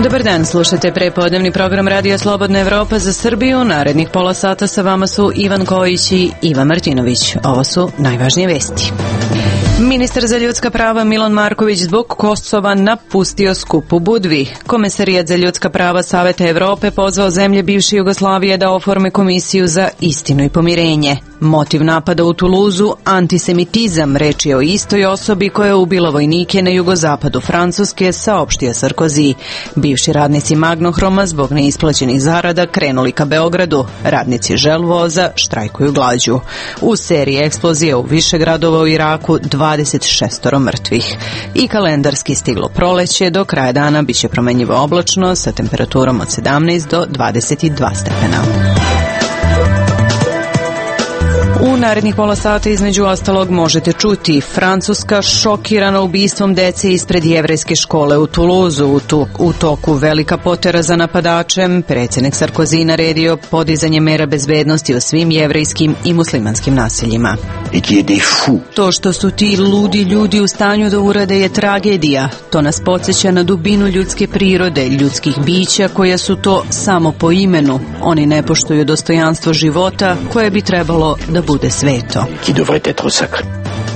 Dobar dan, slušate prepodnevni program Radija Slobodna Evropa za Srbiju. Narednih pola sata sa vama su Ivan Kojić i Ivan Martinović. Ovo su najvažnije vesti. Ministar za ljudska prava Milan Marković zbog Kosova napustio skup u Budvi. Komesarijat za ljudska prava Saveta Evrope pozvao zemlje bivše Jugoslavije da oforme komisiju za istinu i pomirenje. Motiv napada u Tuluzu, antisemitizam, reč je o istoj osobi koja je ubila vojnike na jugozapadu Francuske, saopštio Sarkozy. Bivši radnici Magnohroma zbog neisplaćenih zarada krenuli ka Beogradu. Radnici Želvoza štrajkuju glađu. U seriji eksplozija u više gradova u Iraku 26 mrtvih. I kalendarski stiglo proleće, do kraja dana biće promenjivo oblačno sa temperaturom od 17 do 22 stepena. U narednih pola sata između ostalog možete čuti: Francuska šokirana ubistvom dece ispred jevrejske škole u Tuluzu. U toku velika potera za napadačem, predsjednik Sarkozy naredio podizanje mera bezbednosti u svim jevrejskim i muslimanskim naseljima. To što su ti ludi ljudi u stanju da urade je tragedija. To nas podsjeća na dubinu ljudske prirode, ljudskih bića koja su to samo po imenu. Oni ne poštuju dostojanstvo života koje bi trebalo da bude sveto.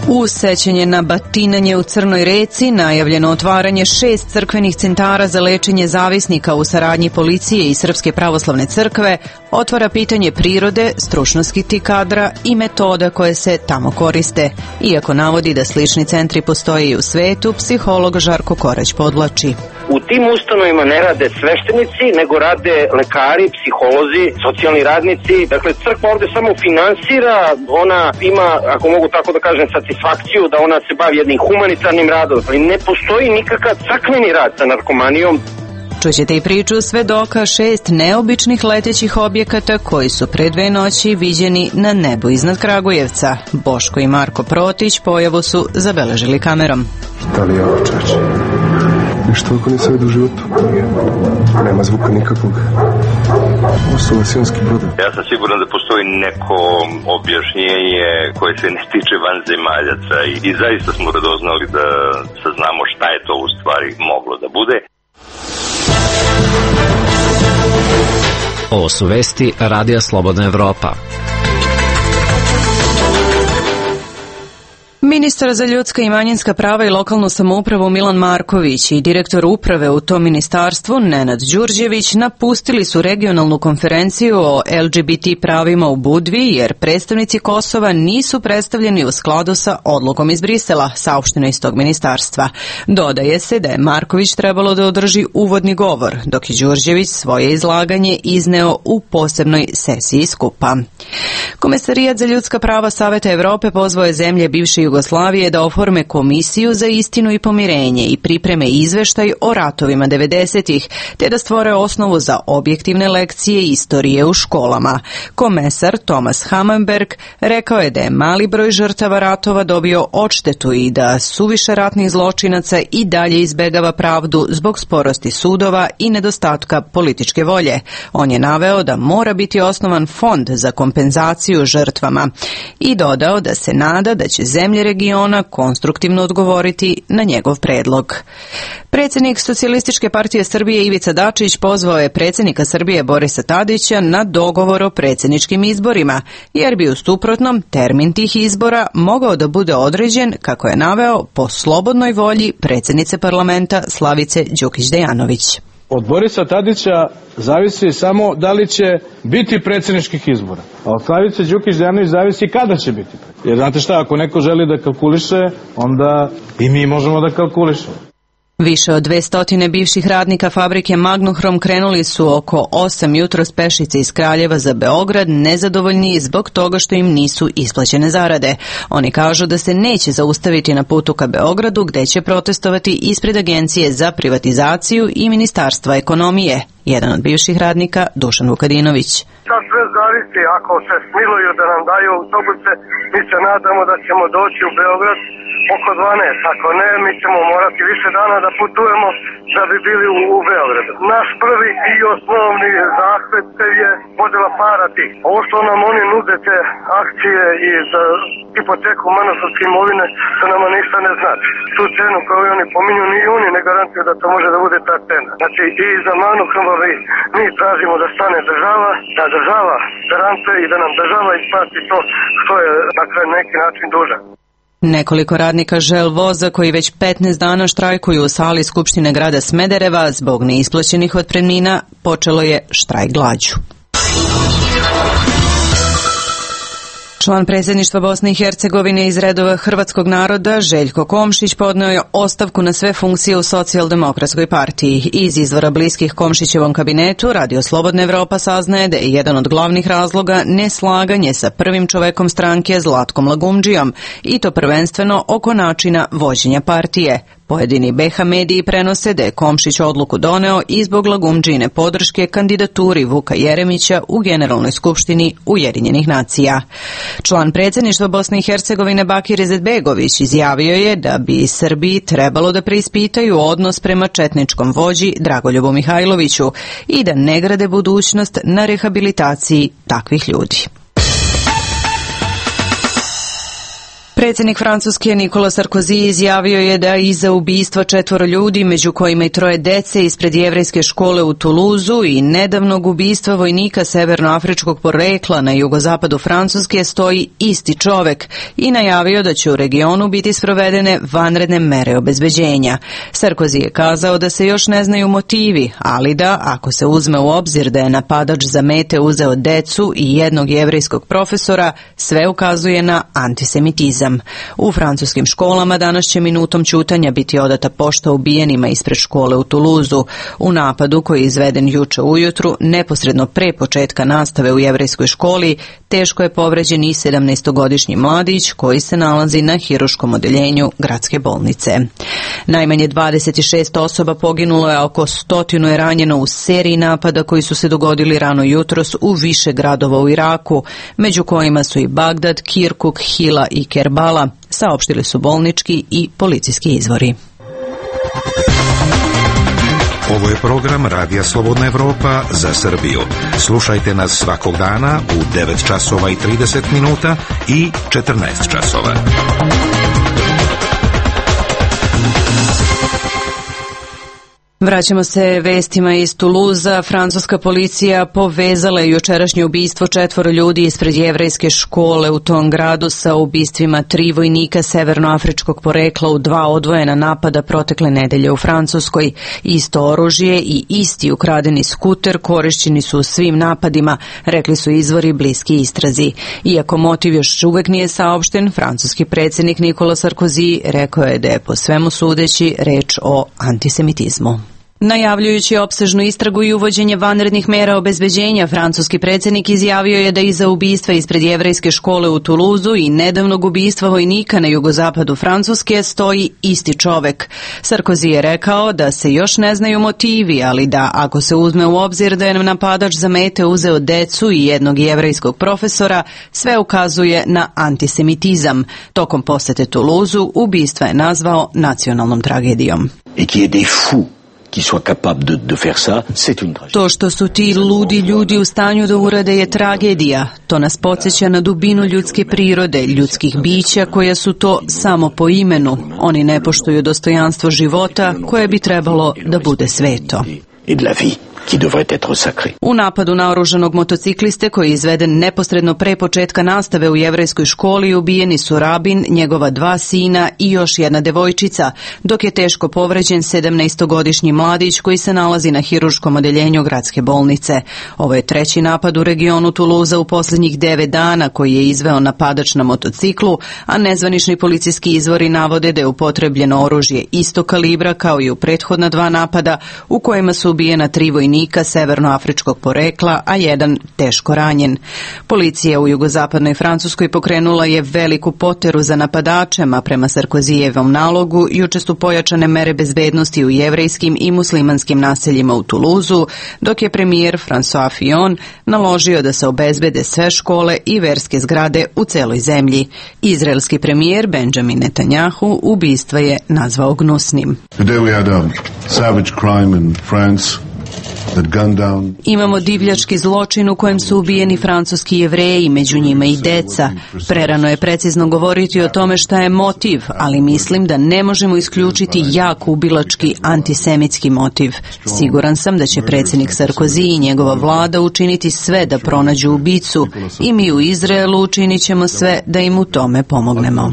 U sećanje na batinanje u Crnoj Reci najavljeno otvaranje 6 crkvenih centara za lečenje zavisnika u saradnji policije i Srpske pravoslavne crkve otvara pitanje prirode, stručnosti kadra i metoda koje se tamo koriste. Iako navodi da slični centri postoje i u svetu, psiholog Žarko Korać podvlači: u tim ustanovima ne rade sveštenici, nego rade lekari, psiholozi, socijalni radnici. Dakle, crkva ovde samo finansira, ona ima, ako mogu tako da kažem, satisfakciju da ona se bavi jednim humanitarnim radom. Ne postoji nikakav crkveni rad sa narkomanijom. Čućete i priču svedoka 6 neobičnih letećih objekata koji su pre 2 noći viđeni na nebu iznad Kragujevca. Boško i Marko Protić pojavu su zabeležili kamerom. Da li je ovo, čače? Ništa ako nisam vidio u životu. Nema zvuka nikakvog. Ovo su vasilonski brodovi. Ja sam siguran da postoji neko objašnjenje koje se ne tiče vanzemaljaca i zaista smo radoznali da saznamo šta je to u stvari moglo da bude. Ovo su vesti Radija Slobodna Evropa. Ministar za ljudska i manjinska prava i lokalnu samoupravu Milan Marković i direktor uprave u tom ministarstvu Nenad Đurđević napustili su regionalnu konferenciju o LGBT pravima u Budvi jer predstavnici Kosova nisu predstavljeni u skladu sa odlukom iz Brisela, saopšteno iz tog ministarstva. Dodaje se da je Marković trebalo da održi uvodni govor, dok je Đurđević svoje izlaganje izneo u posebnoj sesiji skupa. Komesarijat za ljudska prava Saveta Evrope pozvao je zemlje bivše Jugoslavije da oforme komisiju za istinu i pomirenje i pripreme izveštaj o ratovima 90-ih, te da stvore osnovu za objektivne lekcije istorije u školama. Komesar Thomas Hammarberg rekao je da je mali broj žrtava ratova dobio odštetu i da suviše ratnih zločinaca i dalje izbegava pravdu zbog sporosti sudova i nedostatka političke volje. On je naveo da mora biti osnovan fond za kompenzaciju žrtvama i dodao da se nada da će zemlje regiona konstruktivno odgovoriti na njegov predlog. Predsjednik Socijalističke partije Srbije Ivica Dačić pozvao je predsjednika Srbije Borisa Tadića na dogovor o predsjedničkim izborima, jer bi u suprotnom termin tih izbora mogao da bude određen, kako je naveo, po slobodnoj volji predsjednice parlamenta Slavice Đukić-Dejanović. Od Borisa Tadića zavisi samo da li će biti predsjedničkih izbora. A od Slavice Đukić-Dejanović zavisi kada će biti. Jer znate šta, ako neko želi da kalkuliše, onda i mi možemo da kalkulišemo. Više od 200 bivših radnika fabrike Magnohrom krenuli su oko 8 jutros pešice iz Kraljeva za Beograd, nezadovoljni zbog toga što im nisu isplaćene zarade. Oni kažu da se neće zaustaviti na putu ka Beogradu, gde će protestovati ispred Agencije za privatizaciju i Ministarstva ekonomije. Jedan od bivših radnika, Dušan Vukadinović. Sad sve zavisi, ako se smiluju da nam daju autobuse, mi se nadamo da ćemo doći u Beograd, oko 12. Ako ne, mi ćemo morati više dana da putujemo da bi bili u Beogradu. Naš prvi i osnovni zahtev je podela para tih. Ovo što nam oni nude te akcije i za hipoteku manastovske imovine, to nama ništa ne znači. Tu cenu koju oni pominju, ni oni ne garantuju da to može da bude ta cena. Znači i za Manu Krmbavi mi tražimo da stane država, da država garantuje i da nam država isplati to što je dakle neki način dužan. Nekoliko radnika Žel voza koji već 15 dana štrajkuju u sali Skupštine grada Smedereva zbog neisplaćenih otpremnina počelo je štrajk glađu. Član predsjedništva Bosne i Hercegovine iz redova hrvatskog naroda Željko Komšić podneo je ostavku na sve funkcije u Socijaldemokratskoj partiji. Iz izvora bliskih Komšićevom kabinetu Radio Slobodna Evropa saznaje da je jedan od glavnih razloga neslaganje sa prvim čovekom stranke Zlatkom Lagumdžijom i to prvenstveno oko načina vođenja partije. Pojedini BH mediji prenose da je Komšić odluku doneo i zbog Lagumdžijine podrške kandidaturi Vuka Jeremića u Generalnoj skupštini Ujedinjenih nacija. Član predsjedništva Bosne i Hercegovine Bakir Izetbegović izjavio je da bi Srbiji trebalo da preispitaju odnos prema četničkom vođi Dragoljubu Mihajloviću i da ne grade budućnost na rehabilitaciji takvih ljudi. Predsjednik Francuske Nikola Sarkozy izjavio je da iza ubistva 4 ljudi, među kojima i 3 dece ispred jevrejske škole u Tuluzu i nedavnog ubistva vojnika severnoafričkog porekla na jugozapadu Francuske stoji isti čovek i najavio da će u regionu biti sprovedene vanredne mere obezbeđenja. Sarkozy je kazao da se još ne znaju motivi, ali da, ako se uzme u obzir da je napadač za mete uzeo decu i jednog jevrejskog profesora, sve ukazuje na antisemitizam. U francuskim školama danas će minutom ćutanja biti odata pošta ubijenima ispred škole u Tuluzu. U napadu koji je izveden juče ujutru, neposredno pre početka nastave u jevrejskoj školi, teško je povređen i 17-godišnji mladić koji se nalazi na hiruškom odeljenju gradske bolnice. Najmanje 26 osoba poginulo je, a oko 100 je ranjeno u seriji napada koji su se dogodili rano jutros u više gradova u Iraku, među kojima su i Bagdad, Kirkuk, Hila i Kerbala, saopštili su bolnički i policijski izvori. Ovo je program Radija Slobodna Evropa za Srbiju. Slušajte nas svakog dana u 9 časova i 30 minuta i 14 časova. Vraćamo se vestima iz Tuluza. Francuska policija povezala je jučerašnje ubistvo 4 ljudi ispred jevrejske škole u tom gradu sa ubistvima 3 vojnika severnoafričkog porekla u 2 odvojena napada protekle nedelje u Francuskoj. Isto oružje i isti ukradeni skuter korišćeni su u svim napadima, rekli su izvori bliski istrazi. Iako motiv još uvek nije saopšten, francuski predsjednik Nikola Sarkozy rekao je da je po svemu sudeći reč o antisemitizmu. Najavljujući opsežnu istragu i uvođenje vanrednih mera obezbeđenja, francuski predsjednik izjavio je da iza ubistva ispred jevrejske škole u Tuluzu i nedavnog ubistva vojnika na jugozapadu Francuske stoji isti čovek. Sarkozy je rekao da se još ne znaju motivi, ali da ako se uzme u obzir da je napadač za mete uzeo decu i jednog jevrejskog profesora, sve ukazuje na antisemitizam. Tokom posete Tuluzu ubistva je nazvao nacionalnom tragedijom. To što su ti ludi ljudi u stanju da urade je tragedija. To nas podsjeća na dubinu ljudske prirode, ljudskih bića koja su to samo po imenu. Oni ne poštuju dostojanstvo života koje bi trebalo da bude sveto. U napadu na oružanog motocikliste koji je izveden neposredno pre početka nastave u jevrejskoj školi ubijeni su rabin, njegova 2 sina i još jedna devojčica, dok je teško povređen 17-godišnji mladić koji se nalazi na hiruškom odeljenju gradske bolnice. Ovo je 3. napad u regionu Tuluza u posljednjih 9 dana koji je izveo napadač na motociklu, a nezvanični policijski izvori navode da je upotrebljeno oružje istog kalibra kao i u prethodna 2 napada u kojima su ubijena 3 vojnika vojnika severnoafričkog porekla, a jedan teško ranjen. Policija u jugozapadnoj Francuskoj pokrenula je veliku poteru za napadačem, a prema Sarkozijevom nalogu juče su pojačane mere bezbednosti u jevrejskim i muslimanskim naseljima u Tuluzu, dok je premijer François Fillon naložio da se obezbede sve škole i verske zgrade u celoj zemlji. Izraelski premijer Benjamin Netanyahu ubistva je nazvao gnusnim. Imamo divljački zločin u kojem su ubijeni francuski Jevreji, među njima i deca. Prerano je precizno govoriti o tome šta je motiv, ali mislim da ne možemo isključiti jak ubilački antisemitski motiv. Siguran sam da će predsjednik Sarkozy i njegova vlada učiniti sve da pronađu ubicu i mi u Izraelu učinit ćemo sve da im u tome pomognemo.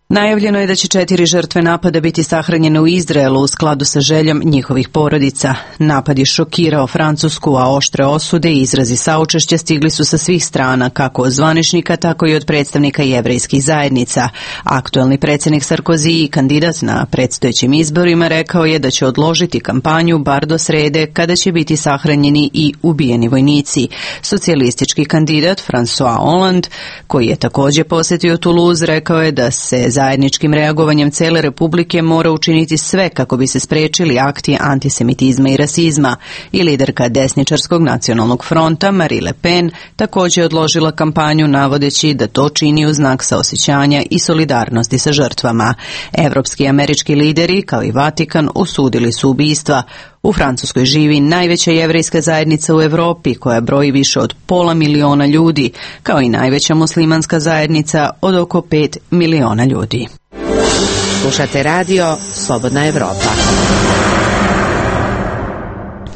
Najavljeno je da će 4 žrtve napada biti sahranjene u Izraelu u skladu sa željom njihovih porodica. Napad je šokirao Francusku, a oštre osude i izrazi saučešća stigli su sa svih strana, kako od zvaničnika, tako i od predstavnika jevrejskih zajednica. Aktuelni predsjednik Sarkozy i kandidat na predstojećim izborima rekao je da će odložiti kampanju bar do srede, kada će biti sahranjeni i ubijeni vojnici. Socijalistički kandidat François Hollande, koji je također posjetio Toulouse, rekao je da se zajedničkim reagovanjem cele Republike mora učiniti sve kako bi se sprečili akti antisemitizma i rasizma. I liderka desničarskog nacionalnog fronta Marine Le Pen također odložila kampanju navodeći da to čini u znak saosjećanja i solidarnosti sa žrtvama. Evropski i američki lideri, kao i Vatikan, osudili su ubistva. U Francuskoj živi najveća jevrejska zajednica u Europi, koja broji više od 500 miliona ljudi, kao i najveća muslimanska zajednica od oko 5 miliona ljudi. Slušate radio Slobodna Evropa.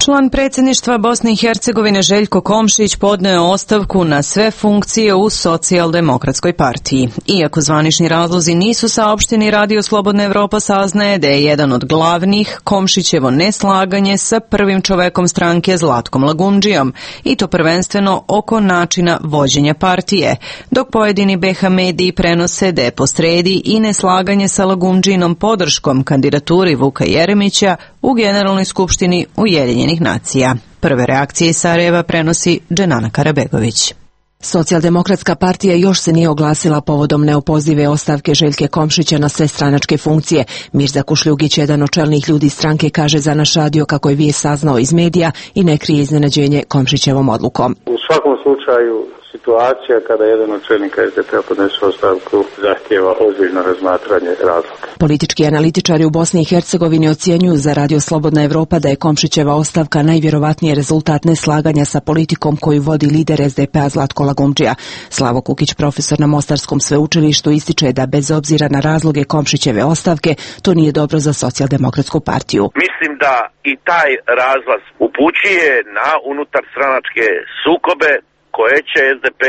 Član predsjedništva Bosne i Hercegovine Željko Komšić podneo ostavku na sve funkcije u Socijaldemokratskoj partiji. Iako zvanični razlozi nisu saopšteni, Radio Slobodna Evropa saznaje da je jedan od glavnih Komšićevo neslaganje sa prvim čovekom stranke Zlatkom Lagundžijom, i to prvenstveno oko načina vođenja partije, dok pojedini BH mediji prenose da je posredi i neslaganje sa Lagundžijinom podrškom kandidaturi Vuka Jeremića u Generalnoj skupštini Ujedinjenih nacija. Prve reakcije iz Sarajeva prenosi Dženana Karabegović. Socijaldemokratska partija još se nije oglasila povodom neopozive ostavke Željke Komšića na sve stranačke funkcije. Mirza Kušljugić, jedan od čelnih ljudi stranke, kaže za naš radio kako je vijest saznao iz medija i ne krije iznenađenje Komšićevom odlukom. U svakom slučaju situacija kada jedan od čelnika SDP-a podnese ostavku zahtijeva ozbiljno razmatranje razloga. Politički analitičari u Bosni i Hercegovini ocjenjuju za Radio Slobodna Evropa da je Komšićeva ostavka najvjerovatnije rezultat neslaganja sa politikom koju vodi lider SDP-a Zlatko Lagundžija. Slavo Kukić, profesor na Mostarskom sveučilištu, ističe da bez obzira na razloge Komšićeve ostavke, to nije dobro za Socijaldemokratsku partiju. Mislim da i taj razlaz upućuje na unutarstranačke sukobe koje će SDP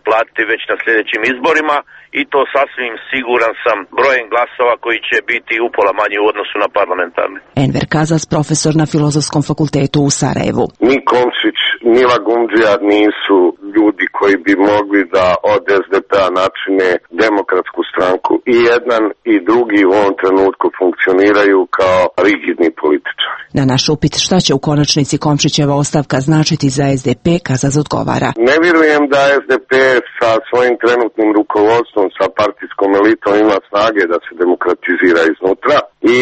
platiti već na sljedećim izborima, i to sasvim siguran sam brojem glasova koji će biti upola manji u odnosu na parlamentarne. Enver Kazas, profesor na Filozofskom fakultetu u Sarajevu. Ni Komšić, ni Lagundžija nisu ljudi koji bi mogli da od SDP-a načine demokratsku stranku. I jedan i drugi u ovom trenutku funkcioniraju kao rigidni političari. Na naš upit šta će u konačnici Komšićeva ostavka značiti za SDP, Kazas odgovara. Ne vjerujem da SDP sa svojim trenutnim rukovodstvom, sa partijskom elitom ima snage da se demokratizira iznutra, i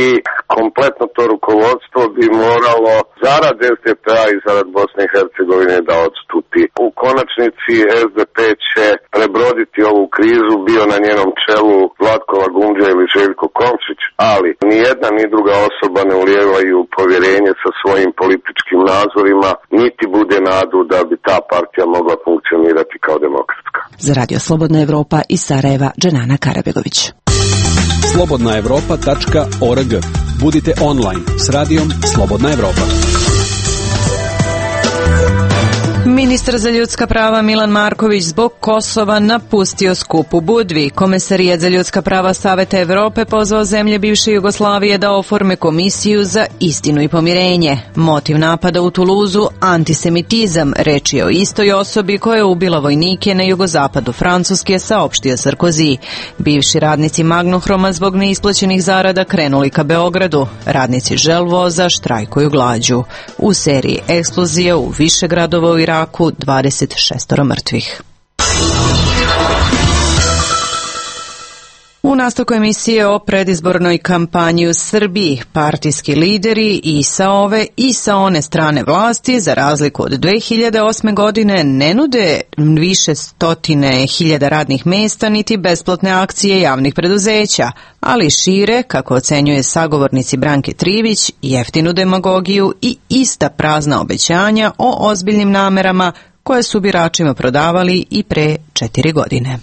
kompletno to rukovodstvo bi moralo zarad SDP-a i zarad Bosne i Hercegovine da odstupi. U konačnici SDP će prebroditi ovu krizu, bio na njenom čelu Zlatko Lagundžija ili Željko Komšić, ali ni jedna ni druga osoba ne ulijevaju povjerenje sa svojim političkim nazorima, niti bude nadu da bi ta partija mogla funkcionirati kao demokratska. Za Radio Slobodna Evropa iz Sarajeva, Dženana Karabegović. slobodnaevropa.org. Budite online s radijom Slobodna Evropa. Ministar za ljudska prava Milan Marković zbog Kosova napustio skup u Budvi. Komesarijat za ljudska prava Saveta Evrope pozvao zemlje bivše Jugoslavije da oforme komisiju za istinu i pomirenje. Motiv napada u Tuluzu antisemitizam, reč je o istoj osobi koja je ubila vojnike na jugozapadu Francuske, saopštio Sarkozy. Bivši radnici Magnohroma zbog neisplaćenih zarada krenuli ka Beogradu. Radnici Želvoza štrajkuju glađu. U seriji eksplozija u više gradova u Iraku 26 mrtvih. U nastavku emisije o predizbornoj kampanji u Srbiji, partijski lideri i sa ove i sa one strane vlasti, za razliku od 2008. godine, ne nude više stotine hiljada radnih mesta niti besplatne akcije javnih preduzeća, ali šire, kako ocenjuje sagovornici Branke Trivić, jeftinu demagogiju i ista prazna obećanja o ozbiljnim namerama koje su biračima prodavali i pre 4 godine.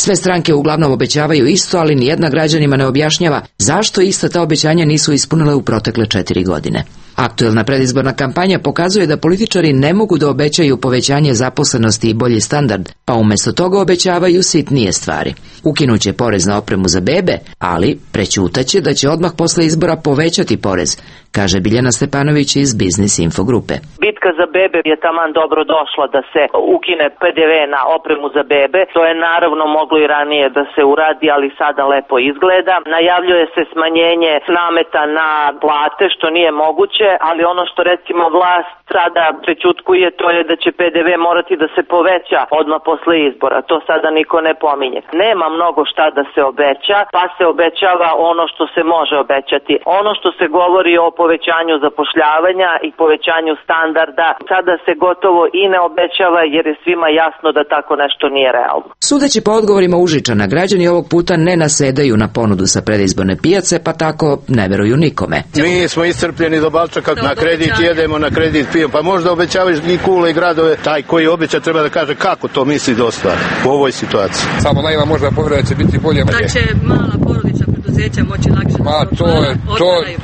Sve stranke uglavnom obećavaju isto, ali nijedna građanima ne objašnjava zašto ista ta obećanja nisu ispunile u protekle 4 godine. Aktuelna predizborna kampanja pokazuje da političari ne mogu da obećaju povećanje zaposlenosti i bolji standard, pa umjesto toga obećavaju sitnije stvari. Ukinuće porez na opremu za bebe, ali prećutaće da će odmah posle izbora povećati porez, kaže Biljana Stepanović iz Biznis Info grupe. Bitka za bebe je taman dobro došla da se ukine PDV na opremu za bebe. To je naravno moglo i ranije da se uradi, ali sada lepo izgleda. Najavljuje se smanjenje nameta na plate, što nije moguće, ali ono što recimo vlast sada prećutkuje, to je da će PDV morati da se poveća odmah posle izbora. To sada niko ne pominje. Nema mnogo šta da se obeća, pa se obećava ono što se može obećati. Ono što se govori o povećanju zapošljavanja i povećanju standarda, sada se gotovo i ne obećava jer je svima jasno da tako nešto nije realno. Sudeći po odgovorima Užičana, građani ovog puta ne nasedaju na ponudu sa predizborne pijace, pa tako ne veruju nikome. Mi smo iscrpljeni do balčaka, na kredit jedemo, na kredit pijemo, pa možda obećavaš i kule i gradove, taj koji obeća treba da kaže kako to misli da ostvari u ovoj situaciji. Samo najma možda povjera će biti bolje. Da će mala porodična preduzeća moći lakše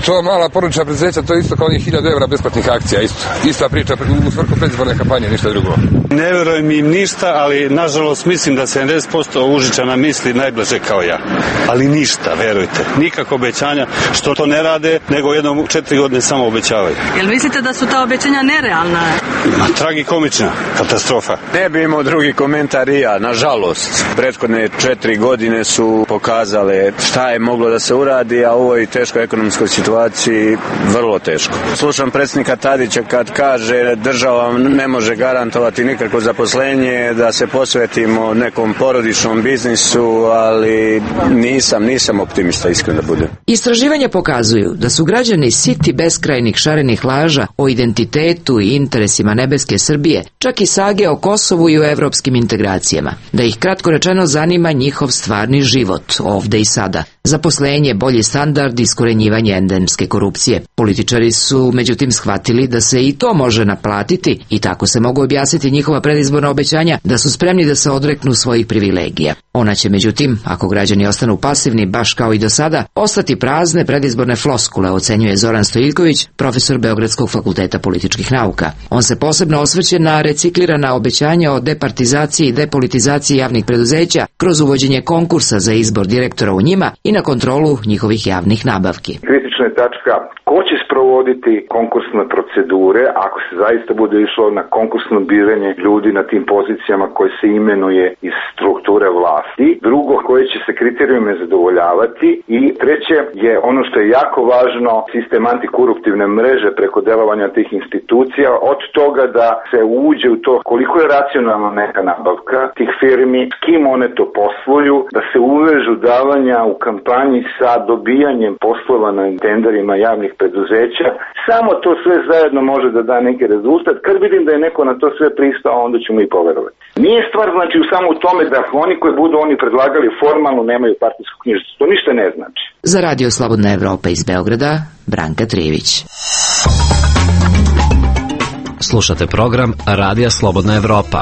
to mala porodična preduzeća, to je isto kao 1000 evra besplatnih akcija, ista priča u svrhu predizborne kampanje, ništa drugo. Ne verujem im ništa, ali nažalost mislim da 70% Užičana misli najbliže kao ja. Ali ništa, verujte, nikako obećanja što to ne rade, nego jednom 4 godine samo obećavaju. Jel mislite da su ta obećanja nerealna? Tragikomična katastrofa. Ne bi imao drugi komentar i ja, nažalost. Prethodne 4 godine su pokazale šta je moglo da se uradi, a u ovoj teškoj ekonomskoj situaciji vrlo teško. Slušam predsjednika Tadića kad kaže država ne može garantovati nikakvo zaposlenje, da se posvetimo nekom porodičnom biznisu, ali nisam optimista, iskreno da budem. Istraživanja pokazuju da su građani siti beskrajnih šarenih laža o identitetu i interesima nebeske Srbije, čak i sage o Kosovu i o evropskim integracijama. Da ih kratko rečeno zanima njihov stvarni život, ovde i sada. Zaposlenje, bolji standard, iskorenjivanje endemske korupcije. Političari su međutim shvatili da se i to može naplatiti i tako se mogu objasniti njihova predizborna obećanja da su spremni da se odreknu svojih privilegija. Ona će međutim, ako građani ostanu pasivni baš kao i do sada, ostati prazne predizborne floskule, ocenjuje Zoran Stojiljković, profesor Beogradskog fakulteta političkih nauka. On se posebno osvrće na reciklirana obećanja o departizaciji i depolitizaciji javnih preduzeća kroz uvođenje konkursa za izbor direktora u njima i na kontrolu njihovih javnih nabavki. Kritična je tačka ko će sprovoditi konkursne procedure ako se zaista bude išlo na konkursno biranje ljudi na tim pozicijama koje se imenuje iz strukture vlasti. Drugo, koje će se kriterijume zadovoljavati. I treće je ono što je jako važno, sistem antikoruptivne mreže preko delovanja tih institucija, od toga da se uđe u to koliko je racionalna neka nabavka tih firmi, s kim one to posluju, da se uvežu davanja u kampanji sa dobijanjem poslova na tenderima javnih preduzeća. Samo to sve zajedno može da da neki rezultat. Kad vidim da je neko na to sve pristao, onda ćemo i poverovati. Nije stvar znači samo u tome da oni koji budu oni predlagali formalno nemaju partijsku knjižicu. To ništa ne znači. Za Radio Slobodna Evropa iz Beograda, Branka Trivić. Slušate program Radija Slobodna Evropa.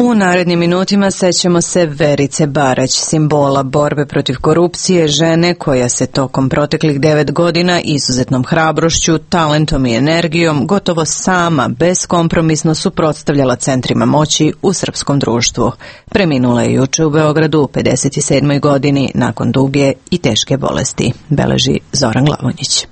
U U narednim minutima sećamo se Verice Barać, simbola borbe protiv korupcije, žene koja se tokom proteklih 9 godina izuzetnom hrabrošću, talentom i energijom gotovo sama, beskompromisno suprotstavljala centrima moći u srpskom društvu. Preminula je juče u Beogradu u 57. godini nakon duge i teške bolesti, beleži Zoran Glavonjić.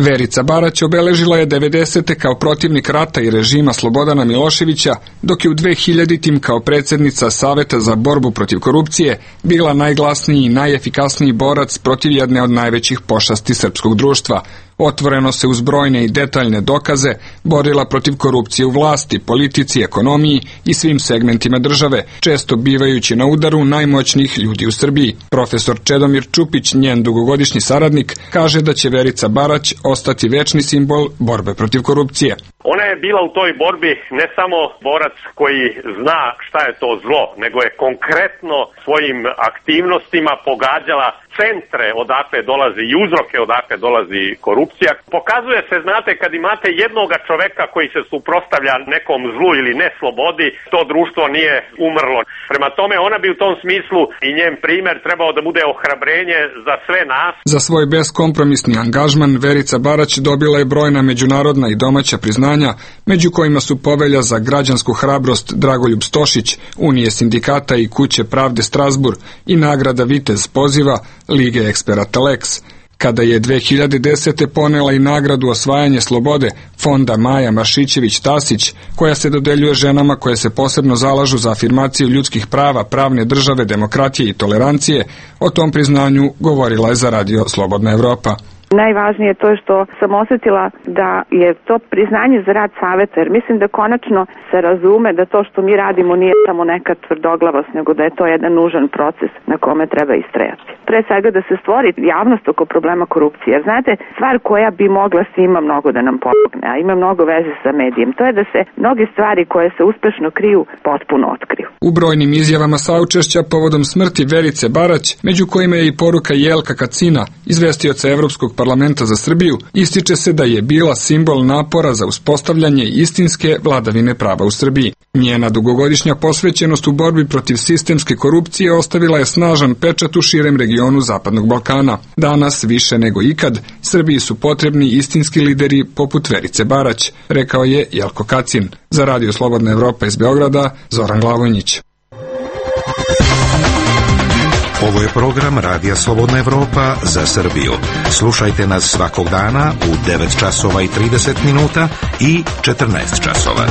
Verica Barać obeležila je 90. kao protivnik rata i režima Slobodana Miloševića, dok je u 2000. kao predsjednica Saveta za borbu protiv korupcije bila najglasniji i najefikasniji borac protiv jedne od najvećih pošasti srpskog društva. Otvoreno se uz brojne i detaljne dokaze borila protiv korupcije u vlasti, politici, ekonomiji i svim segmentima države, često bivajući na udaru najmoćnijih ljudi u Srbiji. Profesor Čedomir Čupić, njen dugogodišnji saradnik, kaže da će Verica Barać ostati večni simbol borbe protiv korupcije. Ona je bila u toj borbi ne samo borac koji zna šta je to zlo, nego je konkretno svojim aktivnostima pogađala centre odakle dolazi i uzroke odakle dolazi korupcija. Pokazuje se, znate, kad imate jednoga čoveka koji se suprotstavlja nekom zlu ili neslobodi, to društvo nije umrlo. Prema tome, ona bi u tom smislu i njen primjer trebao da bude ohrabrenje za sve nas. Za svoj beskompromisni angažman Verica Barać dobila je brojna međunarodna i domaća priznanja, među kojima su Povelja za građansku hrabrost Dragoljub Stošić, Unije sindikata i Kuće pravde Strasburg i nagrada Vitez poziva Lige eksperata Lex. Kada je 2010. ponela i nagradu Osvajanje slobode Fonda Maja Maršićević-Tasić, koja se dodeljuje ženama koje se posebno zalažu za afirmaciju ljudskih prava, pravne države, demokratije i tolerancije, o tom priznanju govorila je za radio Slobodna Evropa. Najvažnije je to što sam osjetila da je to priznanje za rad saveta, jer mislim da konačno se razume da to što mi radimo nije samo neka tvrdoglavost, nego da je to jedan nužan proces na kome treba istrajati. Pre svega da se stvori javnost oko problema korupcije, jer znate, stvar koja bi mogla svima mnogo da nam pomogne, a ima mnogo veze sa medijem, to je da se mnoge stvari koje se uspešno kriju potpuno otkriju. U brojnim izjavama saučešća povodom smrti Verice Barać, među kojima je i poruka Jelka Kacina, izvestioca Evropskog parlamenta za Srbiju, ističe se da je bila simbol napora za uspostavljanje istinske vladavine prava u Srbiji. Njena dugogodišnja posvećenost u borbi protiv sistemske korupcije ostavila je snažan pečat u širem regionu Zapadnog Balkana. Danas, više nego ikad, Srbiji su potrebni istinski lideri poput Verice Barać, rekao je Jelko Kacin. Za radio Slobodna Evropa iz Beograda, Zoran Glavonjić. Ovo je program Radija Slobodna Evropa za Srbiju. Slušajte nas svakog dana u 9 časova i 30 minuta i 14 časova.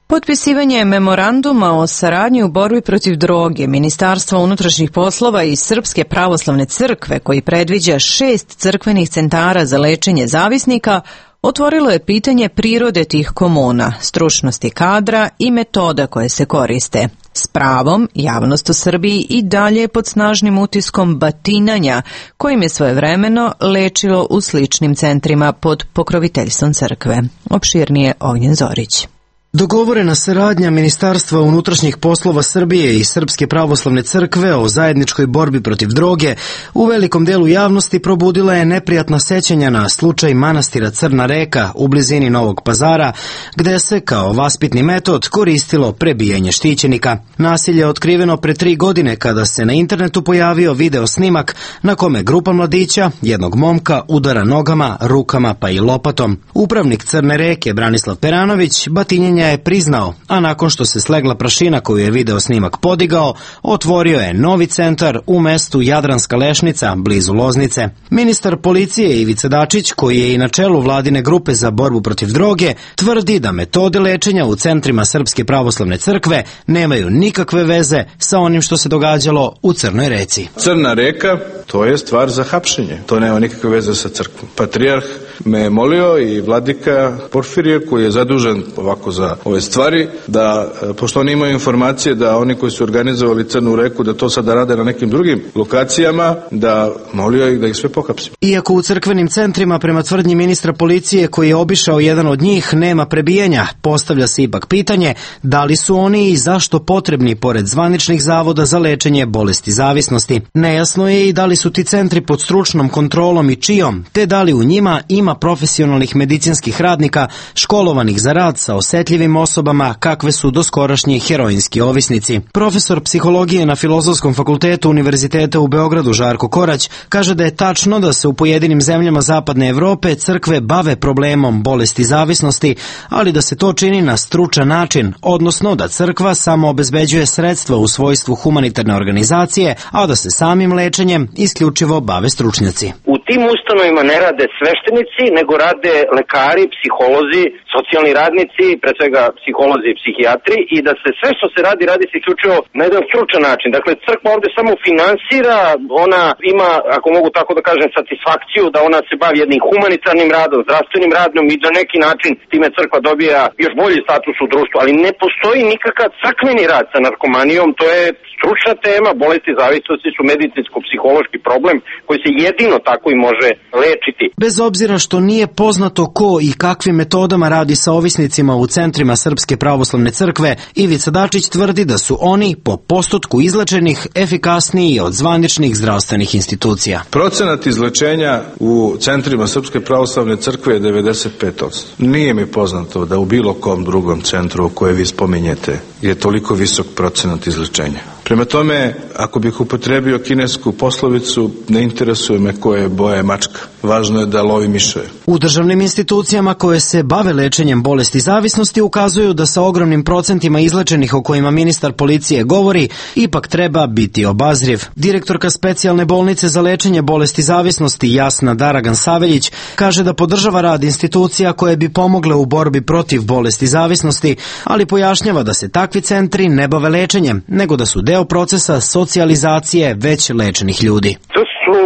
Potpisivanje memoranduma o saradnji u borbi protiv droge Ministarstva unutrašnjih poslova i Srpske pravoslavne crkve, koji predviđa 6 crkvenih centara za lečenje zavisnika, otvorilo je pitanje prirode tih komuna, stručnosti kadra i metoda koje se koriste. S pravom, javnost u Srbiji i dalje pod snažnim utiskom batinanja, kojim je svojevremeno lečilo u sličnim centrima pod pokroviteljstvom crkve. Opširnije Ognjen Zorić. Dogovorena saradnja Ministarstva unutrašnjih poslova Srbije i Srpske pravoslavne crkve o zajedničkoj borbi protiv droge u velikom delu javnosti probudila je neprijatna sećanja na slučaj manastira Crna Reka u blizini Novog Pazara, gde se kao vaspitni metod koristilo prebijanje štićenika. Nasilje je otkriveno pre 3 godine kada se na internetu pojavio video snimak na kome grupa mladića, jednog momka, udara nogama, rukama pa i lopatom. Upravnik Crne Reke Branislav Peranović batinjenje je priznao, a nakon što se slegla prašina koju je video snimak podigao, otvorio je novi centar u mestu Jadranska Lešnica, blizu Loznice. Ministar policije Ivica Dačić, koji je i na čelu vladine grupe za borbu protiv droge, tvrdi da metode lečenja u centrima Srpske pravoslavne crkve nemaju nikakve veze sa onim što se događalo u Crnoj Reci. Crna Reka, to je stvar za hapšenje. To nema nikakve veze sa crkvom. Patrijarh me je molio i vladika Porfirije, koji je zadužen ovako za ove stvari, da, pošto oni imaju informacije da oni koji su organizovali Crnu Reku, da to sada rade na nekim drugim lokacijama, da molio ih da ih sve pohapsimo. Iako u crkvenim centrima, prema tvrdnji ministra policije koji je obišao jedan od njih, nema prebijanja, postavlja se ipak pitanje da li su oni i zašto potrebni pored zvaničnih zavoda za lečenje bolesti zavisnosti. Nejasno je i da li su ti centri pod stručnom kontrolom i čijom, te da li u njima ima nema profesionalnih medicinskih radnika školovanih za rad sa osetljivim osobama kakve su doskorašnji heroinski ovisnici. Profesor psihologije na Filozofskom fakultetu Univerziteta u Beogradu Žarko Korać kaže da je tačno da se u pojedinim zemljama Zapadne Evrope crkve bave problemom bolesti zavisnosti, ali da se to čini na stručan način, odnosno da crkva samo obezbeđuje sredstva u svojstvu humanitarne organizacije, a da se samim lečenjem isključivo bave stručnjaci. U tim ustanovima ne rade sveštenici, nego rade lekari, psiholozi, socijalni radnici, pre svega psiholozi i psihijatri, i da se sve što se radi se isključivo na jedan stručan način. Dakle, crkva ovde samo finansira, ona ima, ako mogu tako da kažem, satisfakciju da ona se bavi jednim humanitarnim radom, zdravstvenim radom i na neki način time crkva dobija još bolji status u društvu, ali ne postoji nikakav crkveni rad sa narkomanijom, to je stručna tema, bolesti zavisnosti su medicinsko-psihološki problem koji se jedino tako i može lečiti. Bez obzira što nije poznato ko i kakvim metodama radi sa ovisnicima u centrima Srpske pravoslavne crkve, Ivica Dačić tvrdi da su oni po postotku izlečenih efikasniji od zvaničnih zdravstvenih institucija. Procenat izlečenja u centrima Srpske pravoslavne crkve je 95%. Nije mi poznato da u bilo kom drugom centru koje vi spominjete je toliko visok procenat izlečenja. Prema tome, ako bih upotrebio kinesku poslovicu, ne interesuje me koje boje mačka. Važno je da lovi miševe. U državnim institucijama koje se bave lečenjem bolesti zavisnosti ukazuju da sa ogromnim procentima izlečenih o kojima ministar policije govori, ipak treba biti obazriv. Direktorka specijalne bolnice za lečenje bolesti zavisnosti Jasna Daragan Saveljić kaže da podržava rad institucija koje bi pomogle u borbi protiv bolesti zavisnosti, ali pojašnjava da se takvi centri ne bave lečenjem, nego da su deo procesa socijalizacije već lečenih ljudi. To su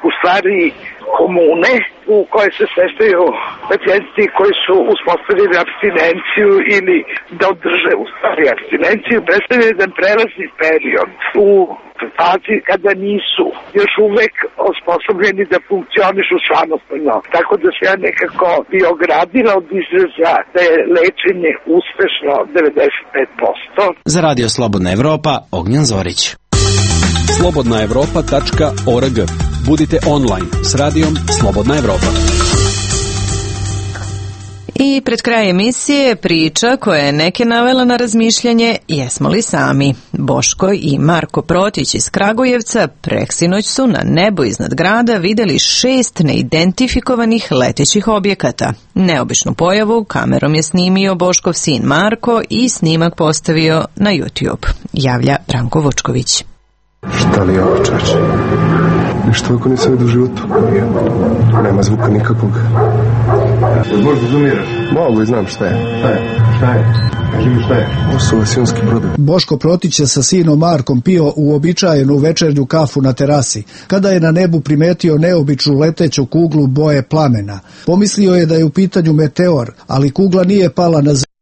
u stvari komune u koje se smještaju pacijenti koji su uspostavili apstinenciju ili da održe u stvari apstinenciju, predstavlja jedan prelazni period u situaciji kada nisu još uvek osposobljeni da funkcionišu samostalno. Tako da se ja nekako bi ogradila od izraza da je lečenje uspešno 95%. Za Radio Slobodna Evropa, Ognjan Zorić. slobodnaevropa.org. Budite online s radijom Slobodna Evropa. I pred kraj emisije priča koja je neke navela na razmišljanje jesmo li sami. Boško i Marko Protić iz Kragujevca preksinoć su na nebu iznad grada videli 6 neidentifikovanih letećih objekata. Neobičnu pojavu kamerom je snimio Boškov sin Marko i snimak postavio na YouTube. Javlja Branko Vučković. Šta li je ovo, čače? Ništa ovako nisam vidio u životu. Nema zvuka nikakvog. Možda zoomiraš? Mogu i znam šta je. Šta je? Kaži mi šta je? Ovo su vasijonski brodovi. Boško Protić je sa sinom Markom pio uobičajenu večernju kafu na terasi, kada je na nebu primetio neobičnu leteću kuglu boje plamena. Pomislio je da je u pitanju meteor, ali kugla nije pala na zemlju.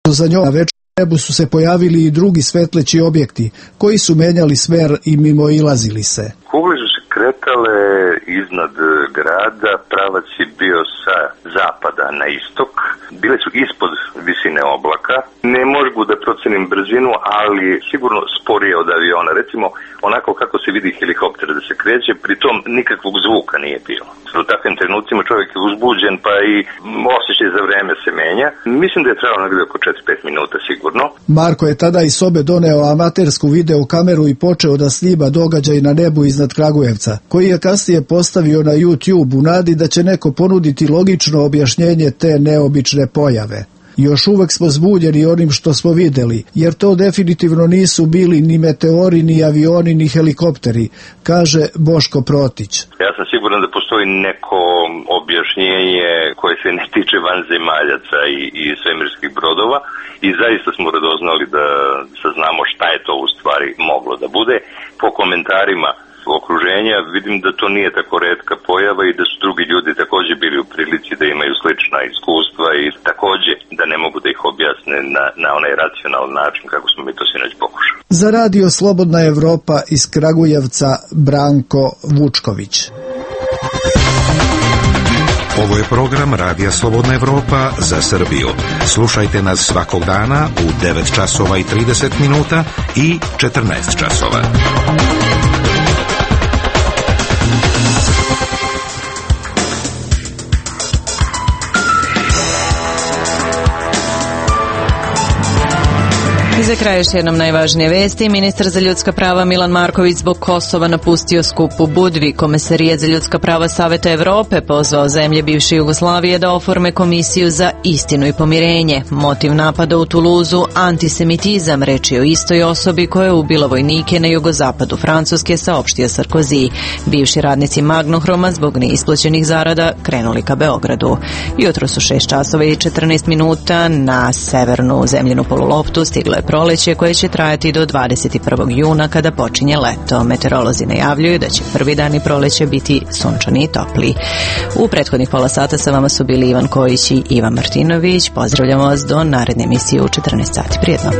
Za njom na večernju nebu su se pojavili i drugi svetleći objekti, koji su menjali smer i mimoilazili se. Kugle su se kretale iznad grada, pravac je bio sa zapada na istok, bile su ispod visine oblaka. Ne mogu da procenim brzinu, ali sigurno sporije od aviona. Recimo, onako kako se vidi helikopter da se kreće, pritom nikakvog zvuka nije bilo. U takvim trenucima čovjek je uzbuđen, pa i osjećaj za vreme se menja. Mislim da je trebalo negdje oko 4-5 minuta sigurno. Marko je tada iz sobe doneo amatersku videokameru i počeo da snima događaj na nebu iznad Kragujevca, koji je kasnije postavio na YouTube u nadi da će neko ponuditi logično objašnjenje te neobične pojave. Još uvek smo zbunjeni onim što smo videli, jer to definitivno nisu bili ni meteori, ni avioni, ni helikopteri, kaže Boško Protić. Ja sam siguran da postoji neko objašnjenje koje se ne tiče vanzemaljaca i svemirskih brodova i zaista smo radoznali da saznamo šta je to u stvari moglo da bude. Po komentarima okruženja vidim da to nije tako retka pojava i da su drugi ljudi također bili u prilici da imaju slična iskustva i također da ne mogu da ih objasne na onaj racionalan način kako smo mi to sinoć pokušali. Za Radio Slobodna Evropa iz Kragujevca, Branko Vučković. Ovo je program Radija Slobodna Evropa za Srbiju. Slušajte nas svakog dana u 9 časova i 30 minuta i 14 časova. I za kraj još jednom najvažnije vesti. Ministar za ljudska prava Milan Marković zbog Kosova napustio skup u Budvi. Komesarijat za ljudska prava Saveta Evrope pozvao zemlje bivše Jugoslavije da oforme komisiju za istinu i pomirenje. Motiv napada u Tuluzu antisemitizam, reč je o istoj osobi koja je ubila vojnike na jugozapadu Francuske, saopštio Sarkozy. Bivši radnici Magnohroma zbog neisplaćenih zarada krenuli ka Beogradu. Jutro su 6 časova i 14 minuta na severnu zemljenu poluloptu stiglo je proleće koje će trajati do 21. juna kada počinje leto. Meteorolozi najavljuju da će prvi dani proleća biti sunčani i topli. U prethodnih pola sata sa vama su bili Ivan Kojić i Ivan Martinović. Pozdravljamo vas do naredne emisije u 14 sati. Prijetno.